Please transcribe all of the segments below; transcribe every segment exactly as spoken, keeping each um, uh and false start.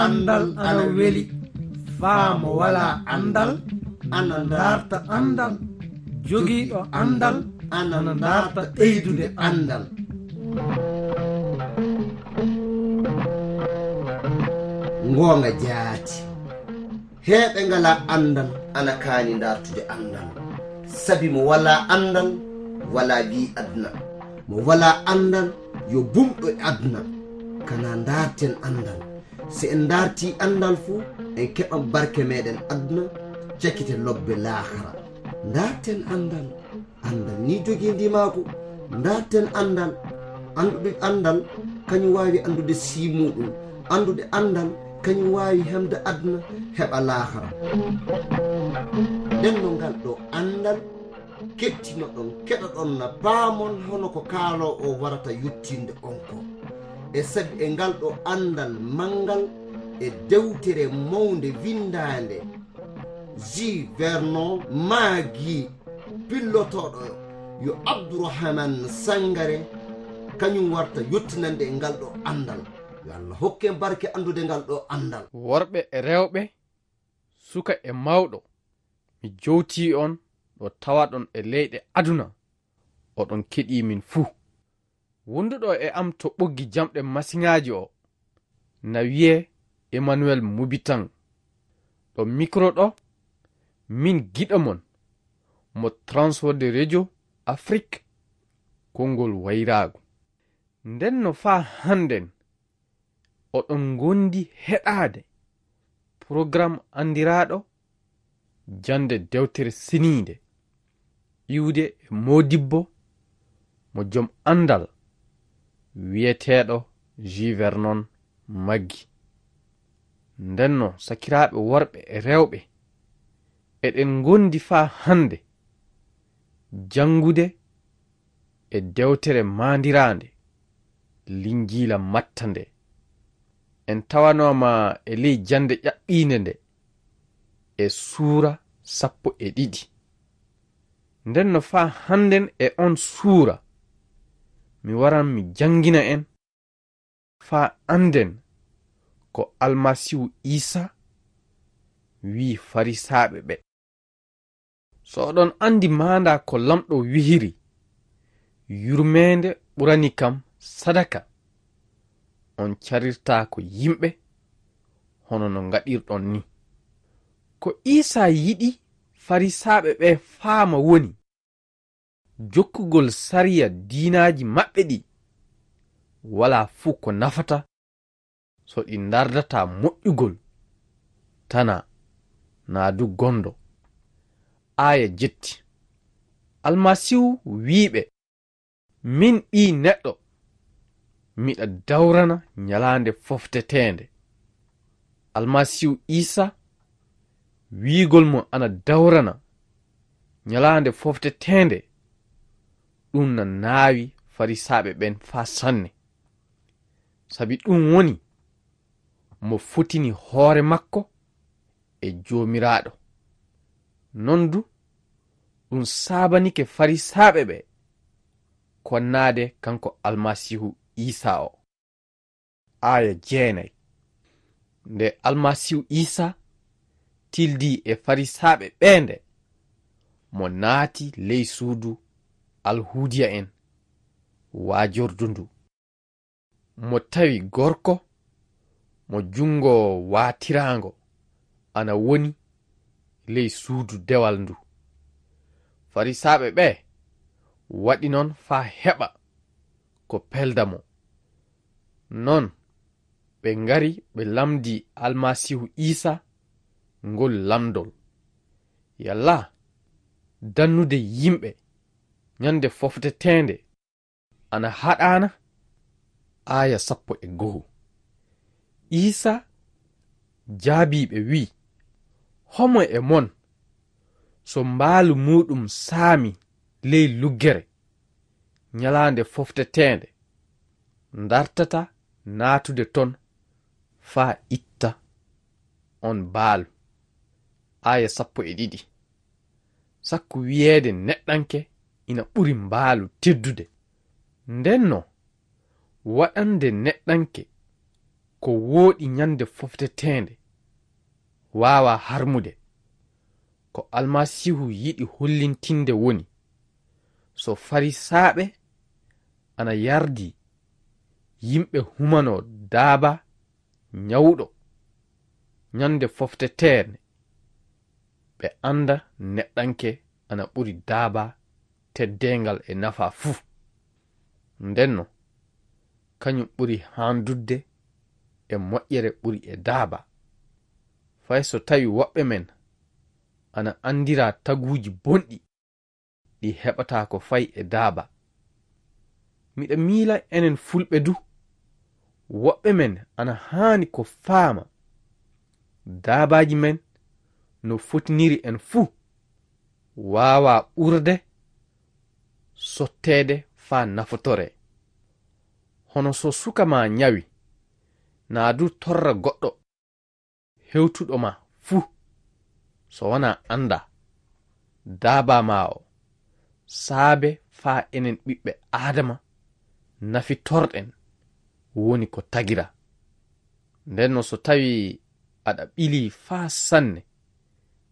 Anndal ana weli, faa mo walaa anndal ana ndaarta anndal, jogiiɗo anndal ana ndaarta ɓeydude anndal. Ngoonga jaati. Heeɓe ngalaa anndal ana kaani ndaartude anndal. Sabi mo walaa anndal, walaa bii aduna. Mo walaa anndal, yo bumɗo e aduna. Kanaa ndaarten anndal. Si en ndaartii anndal fu, en keɓan barke meeɗen aduna, cakite lobbe laakara. Ndaarten anndal. Anndal ni jogii ndimaagu. Ndaarten anndal. Anndude anndal, kañum waawi anndude sii muuɗum. Anndude anndal, kañum waawi hemde aduna, heɓa laakara. Nden no ngal ɗo anndal, kettinoɗon, keɗoɗon na paamon hono ko kaaloo o warata yottinde on ko. E sabi e ngal ɗo anndal manngal e dewtere mawnde winndaande, Jules Vernon Maggi, pillotooɗo yo Abdourahmane Sangare, kañum warta yottinande e ngal ɗo anndal. Yo Allah hokke en barke anndude ngal ɗo anndal. Worɓe e rewɓe, suka e mawɗo, mi jowtii on ɗo tawaɗon e leyɗe aduna, oɗon keɗii min fuu. Wonduɗo e am to ɓoggi jamɗe masiŋaaji o, na wiyee Emmanuel Mubitan. Ɗo mikro ɗo, min giɗo mon, mo Transworld Radio Afrique, konngol wayraagu. Nden no faa hannden, oɗon ngondi heɗaade programme anndiraaɗo jannde dewtere seniinde, iwde e moodibbo mo jom anndal wiyeteeɗo Jules Vernon Maggi. Ndenno, sakiraaɓe worɓe e rewɓe, eɗen ngondi faa hannde janngude e dewtere maandiraande Linjiila Matta nde. En tawanooma e ley jannde ƴaɓɓiinde nde e suura sappo e ɗiɗi. Nden no faa hannden e on suura, mi waran mi janngina en faa annden ko Almasiihu Iisaa wi'i Farisaaɓe ɓe. So oɗon anndi maandaa ko Laamɗo wi'iri, yurmeende ɓurani kam sadaka, on carirtaako yimɓe hono no ngaɗirɗon ni. Ko Iisaa yiɗi Farisaaɓe ɓe faama woni jokkugol sariya diinaaji maɓɓe ɗi walaa fuu ko nafata so ɗi ndardataa moƴƴugol, tanaa naa du gondo. Aaya jetti. Almasiihu wi'i ɓe, "Min Ɓii Neɗɗo, miɗa dawrana ñalaande fofteteende." Almasiihu Iisaa, wi'ugol mo ana dawrana ñalaande fofteteende, ɗum na naawi Farisaaɓe ɓen faa sanne. Sabi ɗum woni mo fotini hoore makko e Joomiraaɗo. Non du, ɗum saabanike Farisaaɓe ɓe konnaade kanko Almasiihu Iisaa o. Aaya jeenay. Nde Almasiihu Iisaa tildii e Farisaaɓe ɓee nde, mo naati ley suudu Alhuudiya'en waajordu ndu. Mo tawi gorko mo junngo waatiraango ana woni ley suudu dewal ndu. Farisaaɓe ɓe waɗi non faa heɓa ko pelda mo. Non ɓe ngari ɓe lamndii Almasiihu Iisaa ngol lamndol. Yalla dannude yimɓe ñande fofteteende ana haɗaana? Aaya sappo e go'o. Iisaa jaabii ɓe wi'i, "Homo e mon, so mbaalu muuɗum saami ley luggere ñalaande fofteteende, ndartataa naatude ton faa itta on mbaalu?" Aaya sappo e ɗiɗi. Sakko wiyeede neɗɗanke ina ɓuri mbaalu teddude. Ndenno, waɗande neɗɗanke Ko wooɗi ñande fofteteende waawaa harmude. Ko Almasiihu yiɗi hollintinde woni, so Farisaaɓe ana yardi yimɓe humanoo daaba ñawɗo ñande fofteteende, ɓe annda neɗɗanke ana ɓuri daaba teddeengal e nafaa fuu. Ndenno, kañum ɓuri haandudde e moƴƴere ɓuri e daaba. Fay so tawi woɓɓe men ana anndira taguuji bonɗi ɗi heɓata ko fay e daaba. Miɗa miila enen Fulɓe du, woɓɓe men ana haani ko faama daabaaji men no fotiniri en fuu, waawaa ɓurde sotteede faa nafotoree. Hono so suka maa ñawi, naa du torra goɗɗo hewtuɗo ma fuu, so wanaa anndaa daabaa maa o, saabe faa enen ɓiɓɓe Aadama nafitorɗen woni ko tagira. Ndenno so tawi aɗa ɓilii faa sanne,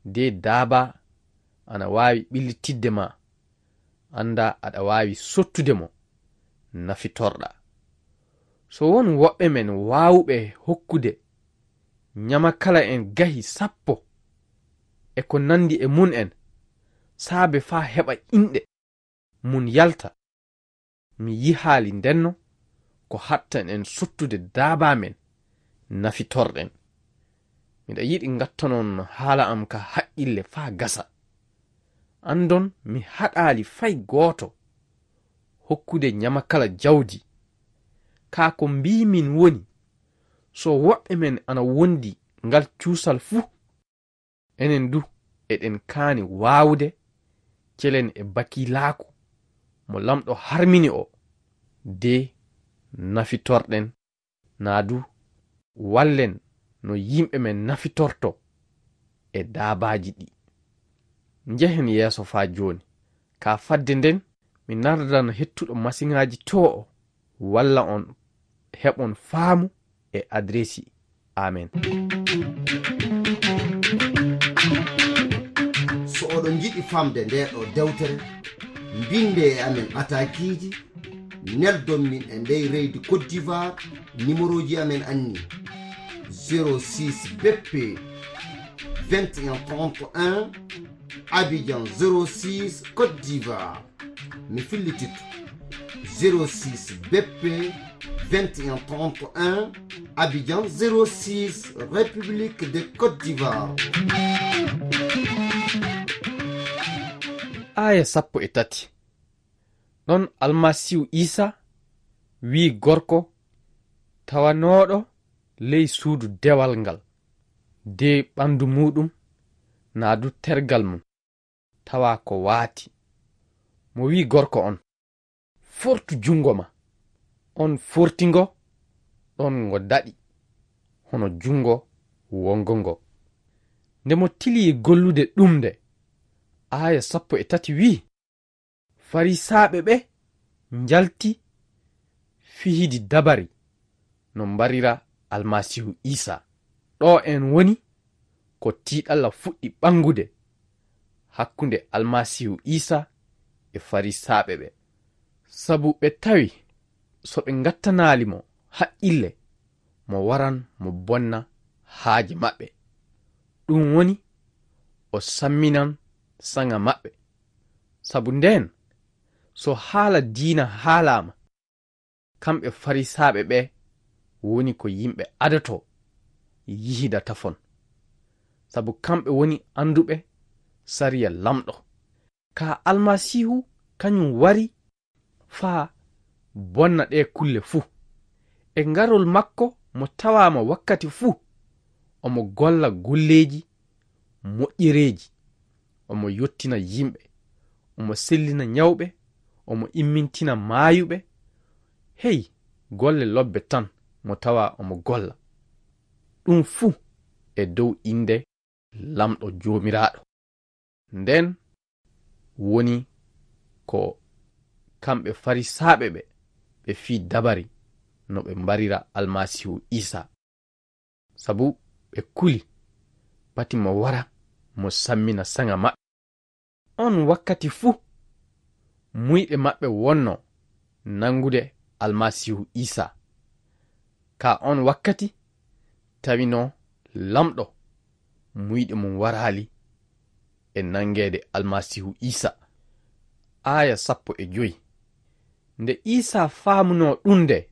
de daabaa ana waawi ɓillitidde ma, anndaa aɗa waawi sottude mo nafitorɗaa. So won woɓɓe men waawuɓe hokkude ñamakala en gahi sappo e ko nanndi e mum en, saabe faa heɓa inɗe mum yalta, mi yihaali ndenno ko haɗtan en sottude daabaa men nafitorɗen. Miɗa yiɗi ngattanon haala am ka haqqille faa gasa. Anndon mi haɗaali fay gooto hokkude ñamakala jawdi. Kaa ko mbii min woni, so woɓɓe men ana wondi ngal cuusal fuu, enen du eɗen kaani waawude celen e bakilaaku mo Lamɗo harmini o, de nafitorɗen naa du wallen no yimɓe men nafitorto e daabaaji ɗi. Njehen yeeso faa jooni. Ka fadde nden, mi nardan hettuɗo masiŋaaji too o, walla on heɓon faamu e adresi. Amen. So oɗon njiɗi famde ndee ɗoo dewtere, mbinde e amen ataakiiji, neldon min e ndey reydi Côte d'Ivoire, nimerooji amen anni: zéro six B P vingt et un trente et un, Abidjan zéro six, Côte d'Ivoire. Mi fillititto: zéro six B P vingt et un trente et un, Abidjan zéro six, République de Côte d'Ivoire. Aaya sappo e tati. Ɗon Almasiihu Iisa wi'i gorko tawanooɗo ley suudu dewal ngal, de ɓandu muuɗum naa du tergal mum tawa ko waati. Mo wi'i gorko on: "Fortu junngo ma." On forti ngo, ɗon ngo daɗi hono junngo wonngo ngo. Nde mo tilii gollude ɗum nde, aaya sappo e tati wi'i: Farisaaɓe ɓe njalti fihidi dabari no mbarira Almasiihu Iisa. Ɗo en woni ko tiiɗalla fuɗɗi ɓanngude hakkunde Almasiihu Iisa e Farisaaɓe ɓe. Sabu ɓe tawi so ɓe ngattanaali mo haqqille, mo waran mo bonna haaje maɓɓe. Ɗum woni o samminan saŋa maɓɓe. Sabu ndeen, so haala diina haalaama, kamɓe Farisaaɓe ɓe woni ko yimɓe adotoo, yihida tafon. Sabu kamɓe woni annduɓe sariya Laamɗo. Kaa Almasiihu kañum wari faa bonna ɗee kulle fuu. E garol makko mo tawaama wakkati fuu, omo golla golleeji moƴƴereeji, omo yottina yimɓe, omo sellina ñawɓe, omo immintina maayuɓe. Hey, golle lobbe tan mo tawa omo golla. Ɗum fuu e dow innde Laamɗo Joomiraaɗo. Ndeen woni ko kamɓe Farisaaɓe ɓe, ɓe fii dabari no ɓe mbarira Almasiihu Iisa. sabu ɓe kuli pati mo wara mo sammina saŋa maɓɓe. On wakkati fuu, muyɓe maɓɓe wonno nanngude Almasiihu Iisaa. Ka on wakkati, tawino Laamɗo muyɗe mum waraali e nanngeede Almasiihu Iisaa. Aaya sappo e joy. Nde Iisaa faamunoo ɗum nde,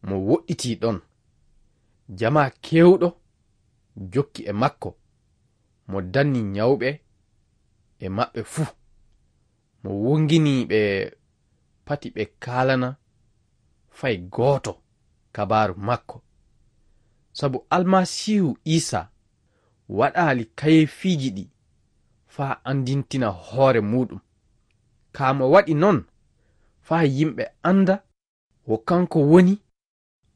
mo woɗɗitii ɗon. Jamaa keewɗo jokki e makko, mo danni nyawɓe e maɓɓe fuu. Mo wonginii ɓe pati ɓe kaalana fay gooto kabaaru makko. Sabu Almasiihu Iisaa waɗaali kayeefiiji ɗi faa anndintina hoore muuɗum. Kaa mo waɗi non faa yimɓe annda wo kanko woni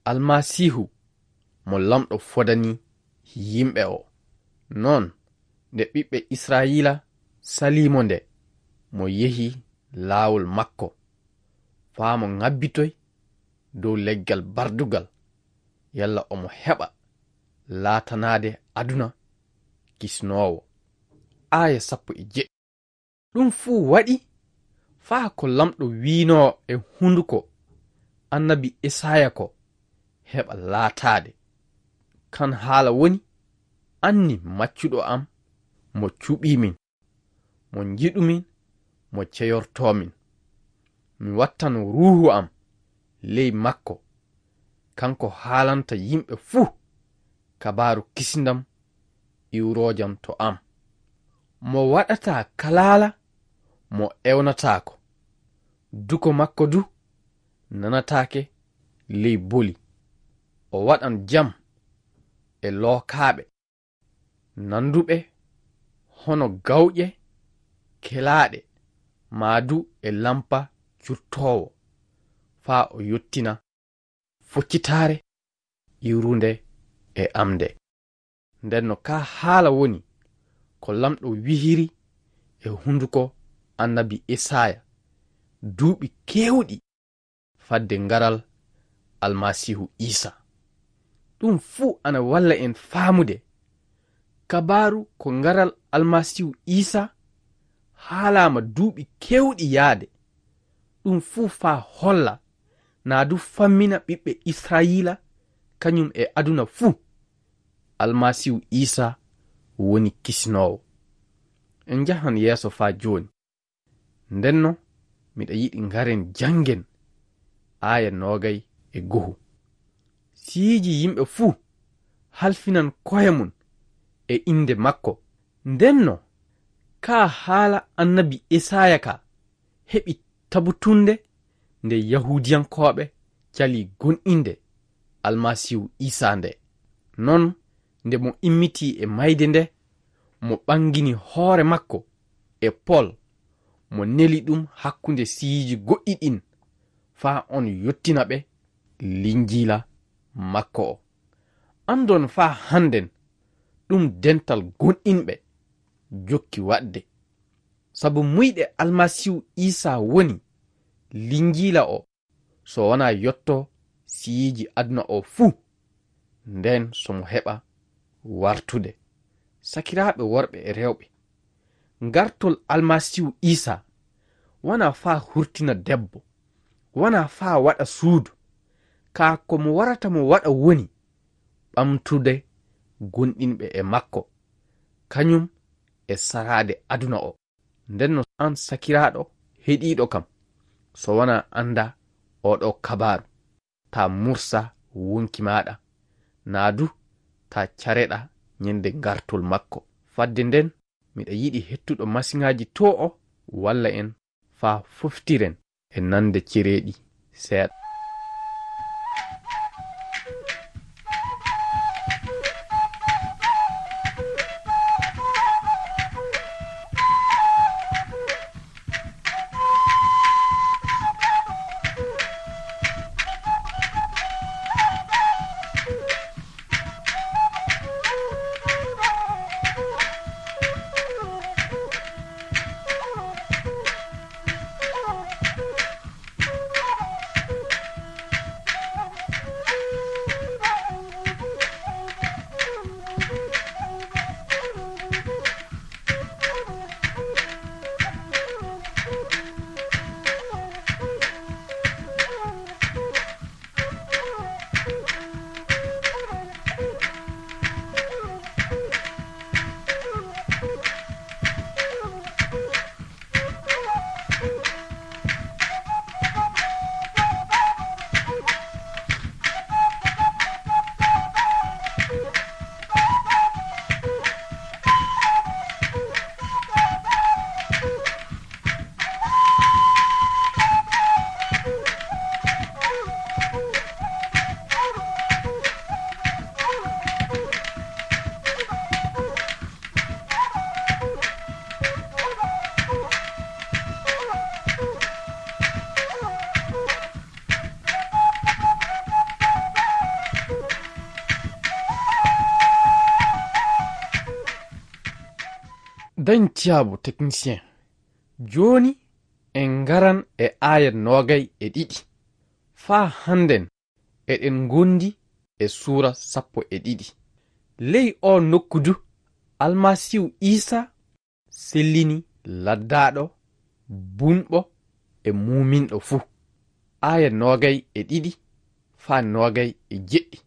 Almasiihu mo Laamɗo fodani yimɓe o. Non nde ɓiɓɓe Israa'iila salii mo nde, mo yehi laawol makko, faa mo ŋabbitoy dow leggal bardugal, yalla omo heɓa laatanaade aduna kisnoowo. Aaya sappo e jeɗɗi. Ɗum fuu waɗi faa ko Laamɗo wiinoo e hunduko annabi Esaaya ko heɓa laataade. Kan haala woni, "Anni maccuɗo am, mo cuɓii min, mo njiɗu min, mo ceyortoo min. Mi wattan Ruuhu am ley makko, kanko haalanta yimɓe fuu kabaaru kisindam iwroojam to am. Mo waɗataa kalaala, mo ewnataako. Duko makko du nanataake ley boli. O waɗan jam e lookaaɓe, nanduɓe hono gawƴe kelaaɗe, maa du e lampa curtoowo, faa o yottina foccitaare iwrunde e am nde." Nden no kaa haala woni ko Laamɗo wihiri e hunduko annabi Esaaya duuɓi keewɗi fadde ngaral Almasiihu Iisaa. Ɗum fuu ana walla en faamude kabaaru ko ngaral Almasiihu Iisaa haalaama duuɓi keewɗi yaade. Ɗum fuu faa holla, naa du fammina ɓiɓɓe Israa'iila, kañum e aduna fuu, Almasiihu Iisaa woni kisinoowo. En njahan yeeso faa jooni. Ndenno, miɗa yiɗi ngaren janngen aaya noogay e go'o. Siiji yimɓe fuu halfinan ko'e mum e innde makko. Ndenno, kaa haala annabi Esaaya ka heɓi tabutunde nde Yahuudiyankooɓe calii gomɗinde Almasiihu Iisaa nde. Non, nde mo immitii e mayde nde, mo ɓangini hoore makko e Pol, mo neli ɗum hakkunde siyiiji goɗɗi ɗin, faa on yottina ɓe Linjiila makko o. Andon faa handen ɗum dental gomɗinɓe jokki waɗde. Sabu muyɗe Almasiihu Iisaa woni Linjiila o, so wanaa yotto siyiiji aduna o fuu, nden so mo heɓa wartude. Sakiraaɓe worɓe e rewɓe, gartol Almasiihu Iisaa wanaa faa hurtina debbo, wanaa faa waɗa suudu, kaa ko mo warata mo waɗa woni ɓamtude gomɗinɓe e makko, kañum e saraade aduna o. Ndenno an sakiraaɗo heɗiiɗo kam, so wanaa annda oo ɗoo kabaaru, taa mursa wonki maaɗa, naa du taa careɗaa ñande gartol makko. Fadde nden, miɗa yiɗi hettuɗo masiŋaaji too o walla en faa foftiren e nande cereeɗi seeɗa. Dañ tiyaabu technicien. Jooni en ngaran e aaya noogay e ɗiɗi. Faa hannden eɗen ngondi e suura sappo e ɗiɗi. Ley oo nokku du, Almasiihu Iisaa sellini laddaaɗo, bunɓo e muuminɗo fuu. Aaya noogay e ɗiɗi faa noogay e jeɗɗi.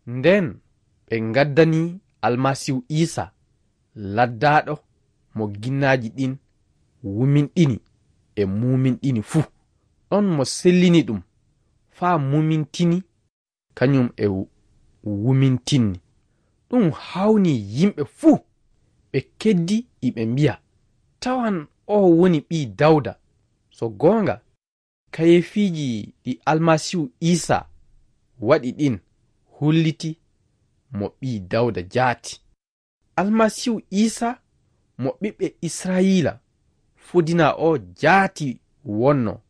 Ndeen ɓe ngaddanii Almasiihu Iisaa laddaaɗo mo ginnaaji ɗiin wuminɗini e muuminɗini fuu. Ɗon mo sellini ɗum faa mumintini kañum e wu-, wumintinni. Ɗum haawnii yimɓe fuu, ɓe keddii iɓe mbi'a, "Tawan oo woni Ɓii Dawda." So goonga, kayeefiiji ɗi Almasiihu Iisaa waɗi ɗiin holliti mo Ɓii Dawda jaati. Almasiihu Iisaa mo ɓiɓɓe Israayiila fodinaa oo jaati wonnoo,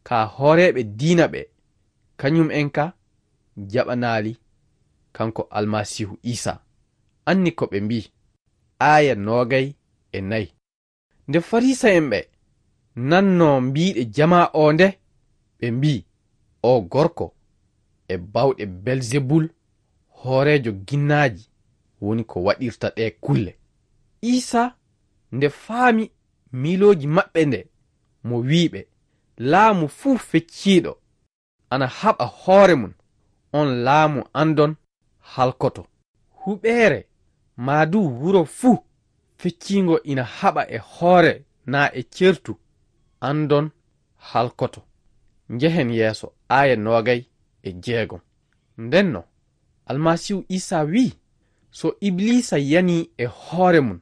kaa hooreeɓe diina ɓee, kañum'en kaa jaɓanaali kanko Almasiihu Iisaa. Anni ko ɓe mbii, aaya noogay e nay. Nde Fariisa'en ɓee nannoo mbiiɗe jamaa oo nde, ɓe mbii, "Oo gorko e baawɗe Belzebul, hooreejo ginnaaji, woni ko waɗirta ɗee kulle." Iisaa nde faami miilooji maɓɓe nde, mo wii ɓe, "Laamu fuu fecciiɗo ana haɓa hoore mum, on laamu andon halkoto. Huɓeere maa du wuro fuu fecciingo ina haɓa e hoore naa e certu, andon halkoto." Njehen yeeso, aaya noogay e jeegom. Ndenno, Almasiihu Iisaa wii, "So Ibiliisa yanii e hoore mum,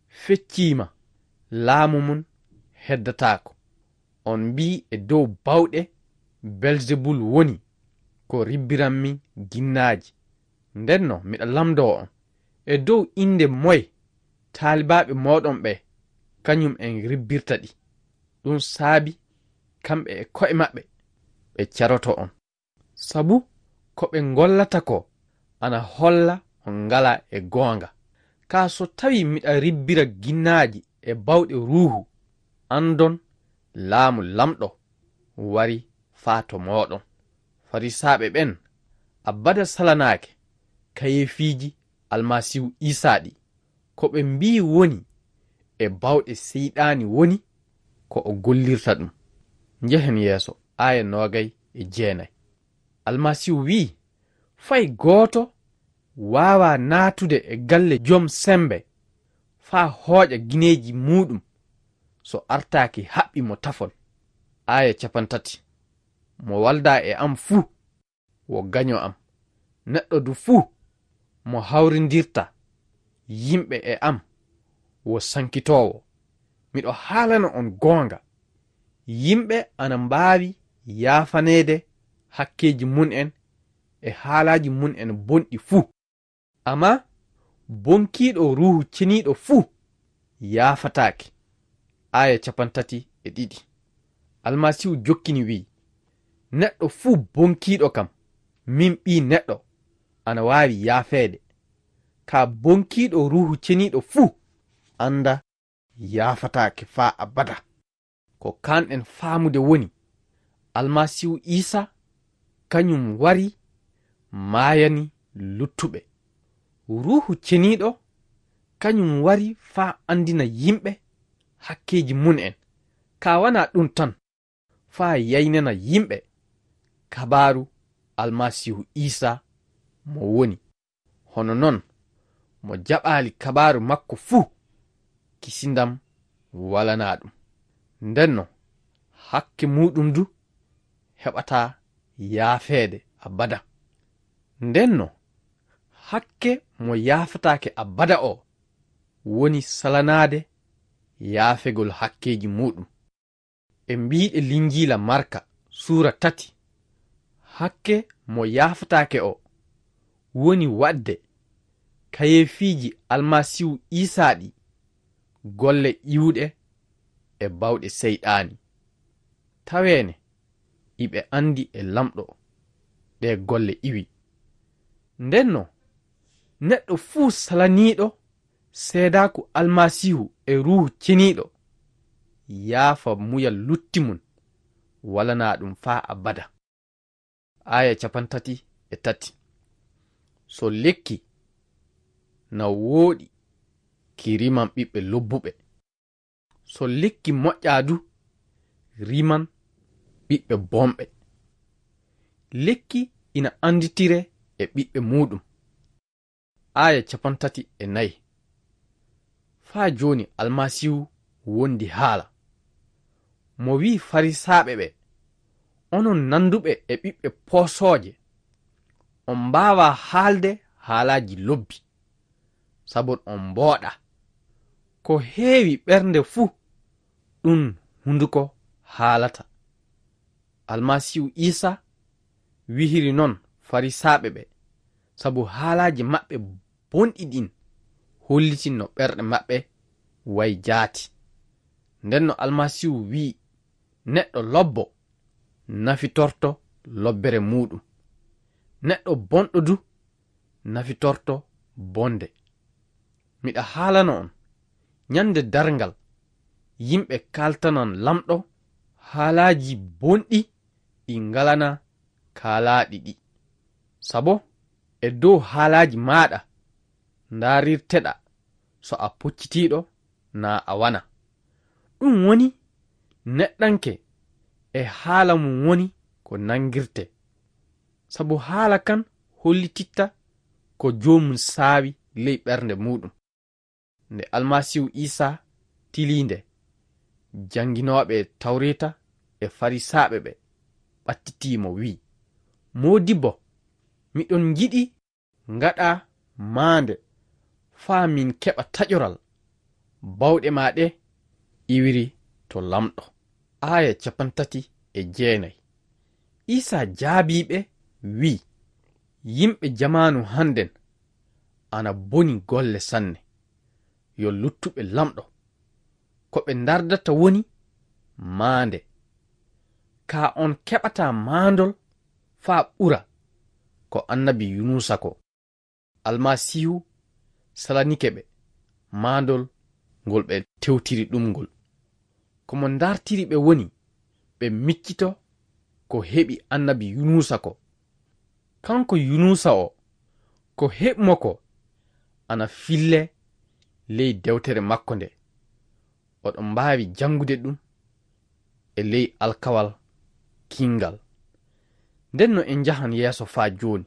fecciima, laamu mum heddataako. On mbii e dow baawɗe Belzebul woni ko ribbiranmi ginnaaji. Ndenno miɗa lamndoo on, e dow innde moye taalibaaɓe mooɗon ɓee kañum en ribbirta ɗi?" Ɗum saabi kamɓe e ko'e maɓɓe ɓe caroto on. Sabu ko ɓe ngollata ko ana holla on ngalaa e goonga. Kaa so tawii miɗa ribbira ginnaaji e baawɗe Ruuhu, andon laamu Laamɗo wari faa to mooɗon. Fariisaaɓe ɓen abada salanaake kayeefiiji Almasiihu Iisaa ɗi. Ko ɓe mbii woni e baawɗe Seyɗaani woni ko o gollirta ɗum. Njehen yeeso, aaya noogay e jeenay. Almasiihu wii, "Fay gooto waawaa naatude e galle jom semmbe faa hooƴa gineeji muuɗum so artaaki haɓɓi mo tafon." Aaya capantati. Mo waldaa e am fuu wo gaño am. Neɗɗo du fuu mo hawrindirta yimɓe e am wo sankitoowo. Miɗo haalana on goonga, yimɓe ana mbaawi yaafaneede hakkeeji mum en e haalaaji mum en bonɗi fuu. Ammaa bonkiiɗo Ruuhu Ceniiɗo fuu yaafataake. Aaya capantati e ɗiɗi. Almasiihu jokkini wi'i, "Neɗɗo fuu bonkiiɗo kam, min Ɓii Neɗɗo, ana waawi yaafeede. Kaa bonkiiɗo Ruuhu Ceniiɗo fuu, annda yaafataake faa abada." Ko kaanɗen faamude woni, Almasiihu Iisaa kañum wari maayani luttuɓe. Ruuhu Ceniiɗo kañum wari faa anndina yimɓe hakkeeji mum en. Kaa wanaa ɗum tan, faa yaynana yimɓe kabaaru Almasiihu Iisaa mo woni. Hono non, mo jaɓaali kabaaru makko fuu, kisindam walanaa ɗum. Ndenno, hakke muuɗum du heɓataa yaafeede abada. Ndenno, hakke mo yaafataake abada o woni salanaade yaafegol hakkeeji muuɗum. E mbiiɗe Linjiila Marka suura tati, hakke mo yaafataake o woni waɗde kayeefiiji Almasiihu Iisaa ɗi, golle iwuɗe e baawɗe Seyɗaani. Taweene, iɓe anndi e Laamɗo ɗee golle iwi. Ndenno, neɗɗo fuu salaniiɗo seedaaku Almasiihu e Ruuhu Ceniiɗo yaafa muya lutti mum, walanaa ɗum faa abada. Aaya capantati e tati. So lekki na wooɗi, ki riman ɓiɓɓe lobbuɓe. So lekki moƴƴaa du, riman ɓiɓɓe bonɓe. Lekki ina annditire e ɓiɓɓe muuɗum. Aaya capantati e nayi. Faa jooni Almasiihu wondi haala. Mo wi'i Farisaaɓe ɓe, "Onon nannduɓe e ɓiɓɓe poosooje, on mbaawaa haalde haalaaji lobbi, sabu on mbooɗaa. Ko heewi ɓernde fuu, ɗum hunduko haalata." Almasiihu Iisa wihiri noon Farisaaɓe ɓe, sabu haalaaji maɓɓe bonɗi ɗin hollitinno ɓerɗe maɓɓe wayi jaati. Nden no Almasiihu wi'i, "Neɗɗo lobbo nafitorto lobbere muuɗum. Neɗɗo bonɗo du nafitorto bonde." Miɗa haalano on, nyannde darngal, yimɓe kaaltanan Laamɗo haalaaji bonɗi ɗi ngalanaa kaalaaɗi ɗi. Sabo e dow haalaaji maaɗa ndaarirteɗaa so a poccitiiɗo naa a wanaa. Ɗum woni neɗɗanke e haala mum woni ko nanngirtee. Sabo haala kan hollititta ko joomum saawi ley ɓernde muuɗum. Nde Almasiihu Iisa tilii nde, jannginooɓe Tawreeta e Farisaaɓe ɓe ɓattitii mo, wi'i, "Moodibbo, miɗon njiɗi ngaɗaa maande faa min keɓa taƴoral. Bawɗe maa ɗe iwiri to Laamɗo." Aaya capantati e jeenay. Iisa jaabii ɓe, wi'i, "Yimɓe jamaanu hannden ana boni golle sanne. Yo luttuɓe Laamɗo. Ko ɓe ndardata woni maande. Kaa on keɓataa maandol faa ɓura ko annabi Yunuusa ko." Almasiihu salanike ɓe maandol ngol ɓe tewtiri ɗum ngol. Ko mo ndartiri ɓe woni ɓe miccito ko heɓi annabi Yunuusa ko. Kanko Yunuusa o, ko heɓi mo ko ana fillee ley dewtere makko nde. Oɗon mbaawi janngude ɗum e ley alkawal kinngal. Nden no en njahan yeeso faa jooni.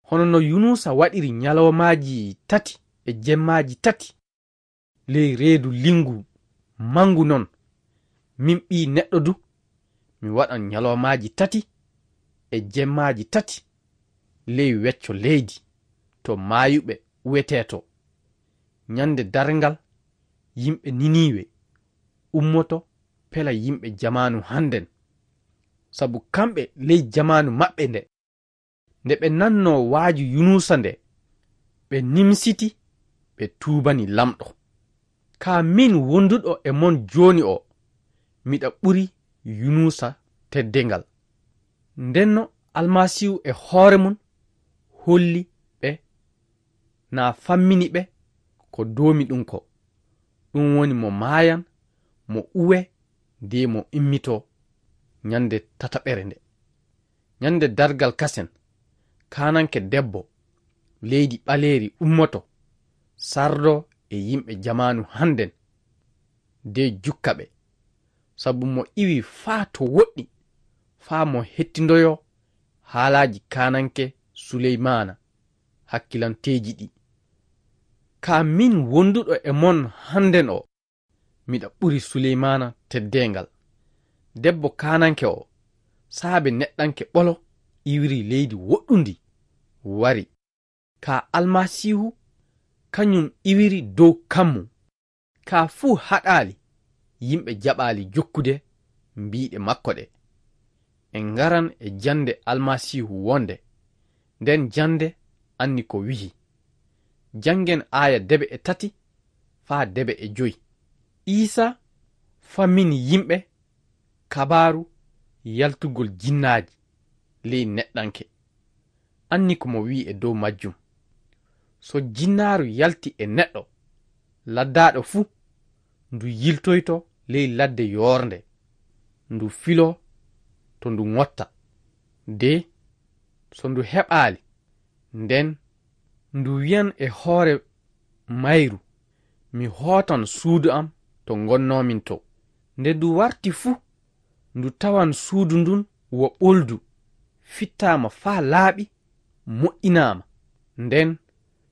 Hono no Yunuusa waɗiri nyaloomaaji tati e jemmaaji tati ley reedu linngu manngu non, min Ɓii Neɗɗo du, mi waɗan nyaloomaaji tati e jemmaaji tati ley wecco leydi, to maayuɓe uwetee to. Nyannde darngal, yimɓe Niniiwe ummoto pela yimɓe jamaanu hannden, sabu kamɓe ley jamaanu maɓɓe nde, nde ɓe nannoo waaju Yunuusa nde, ɓe nimsiti, ɓe tuubani Laamɗo. Kaa min wonduɗo e mon jooni o, miɗa ɓuri Yunuusa teddeengal. Ndenno Almasiihu e hoore mum holli ɓe, naa fammini ɓe ko doomi ɗum ko. Ɗum woni mo maayan, mo uwe, de mo immitoo nyannde tataɓere nde. Nyannde dargal kasen, kaananke debbo leydi ɓaleeri ummoto, sardoo e yimɓe jamaanu hannden, de jukka ɓe, sabu mo iwi faa to woɗɗi, faa mo hettindoyoo haalaaji kaananke Suleymaana hakkilanteeji ɗi. Kaa min wonduɗo e mon hannden o, miɗa ɓuri Suleymaana teddeengal. Debbo kaananke o, saabe neɗɗanke ɓolo iwiri leydi woɗɗundi, wari. Kaa Almasiihu, kañum iwiri dow kammu. Kaa fuu haɗaali, yimɓe jaɓaali jokkude mbiiɗe makko ɗe. En ngaran e jannde Almasiihu wonde, nden jannde anni ko wi'i. Janngen aaya debe e tati faa debe e joy. Iisa fammini yimɓe kabaaru yaltugol jinnaaji ley neɗɗanke. Anni ko mo wi'i e dow majjum. So jinnaaru yalti e neɗɗo, laddaaɗo fuu, ndu yiltoyto ley ladde yoornde, ndu filoo to ndu ŋotta. De so ndu heɓaali, nden ndu wi'an e hoore mayru, "Mi hootan suudu am to ngonnoomin to." Nde ndu warti fuu, ndu tawan suudu ndun wo ɓoldu, fittaama faa laaɓi, moƴƴinaama. Nden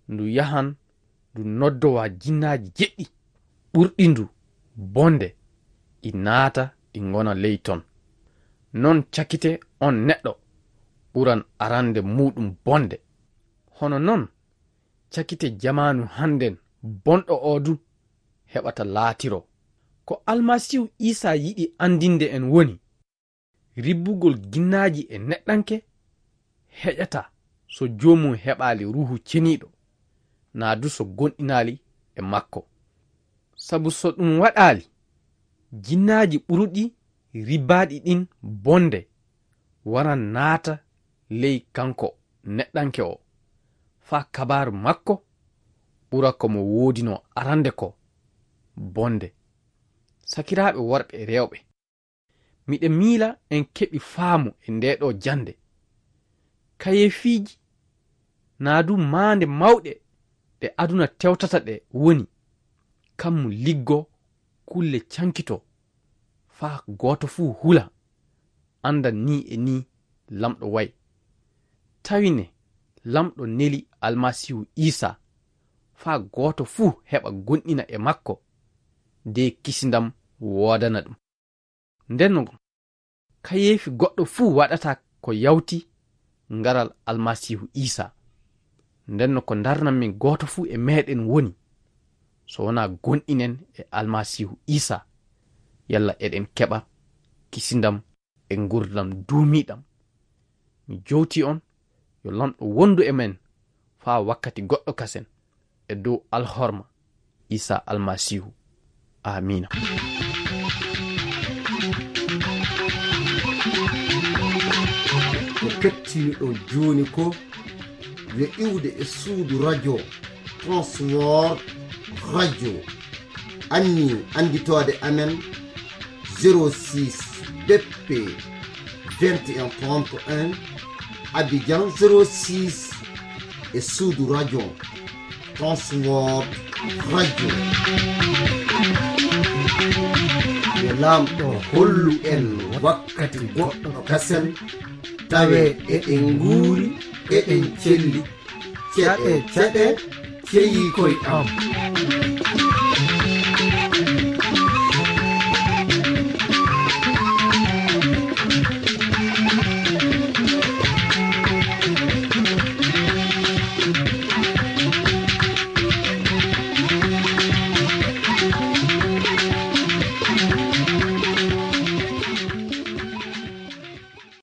ndu yahan ndu noddowa jinnaaji jeɗɗi ɓurɗi ndu bonde, ɗi naata, ɗi ngona ley ton. Non cakite on neɗɗo ɓuran arande muuɗum bonde. Hono non cakite jamaanu hannden bonɗo oo du heɓata laatiroo. Ko Almasiihu Iisaa yiɗi anndinde en woni, ribbugol ginnaaji e neɗɗanke heƴataa so joomum heɓaali Ruuhu Ceniiɗo, naa du so gomɗinaali e makko. Sabu so ɗum waɗaali, ginnaaji ɓuruɗi ribbaaɗi ɗin bonde waran naata ley kanko neɗɗanke o, faa kabaaru makko ɓura ko mo woodinoo arande ko bonde. Sakiraaɓe worɓe e rewɓe, miɗa miila en keɓi faamu e ndee ɗoo jannde. Kayeefiiji naa du maande mawɗe ɗe aduna tewtata ɗe woni, kammu liggoo, kulle cankitoo, faa gooto fuu hula, annda nii e nii Laamɗo wa'i. Tawi ne Laamɗo neli Almasiihu Iisaa, faa gooto fuu heɓa gomɗina e makko, de kisindam woodana ɗum. Ndenno, kayeefi goɗɗo fuu waɗataa ko yawti ngaral Almasiihu Iisaa. Ndenno, ko ndarnan min gooto fuu e meeɗen woni, so wonaa gomɗinen e Almasiihu Iisaa, yalla eɗen keɓa kisindam e ngurndan duumiiɗam. Mi jowtii on, yo Laamɗo wondu e men faa wakkati goɗɗo kasen, e dow alhorma Iisaa Almasiihu. Aamiina. Ko kettiniɗon jooni ko yo iwde e suudu radio Transworld Radio. Anni annditoode amen, zéro six B P vingt et un trente et un, Abidjan zéro six, e suudu radio Transworld Radio. Yo Laamɗo hollu en wakkati goɗɗo kasen, tawe eɗen nguuri, eɗen celli. Caɗe, caɗe, ceyii koy am.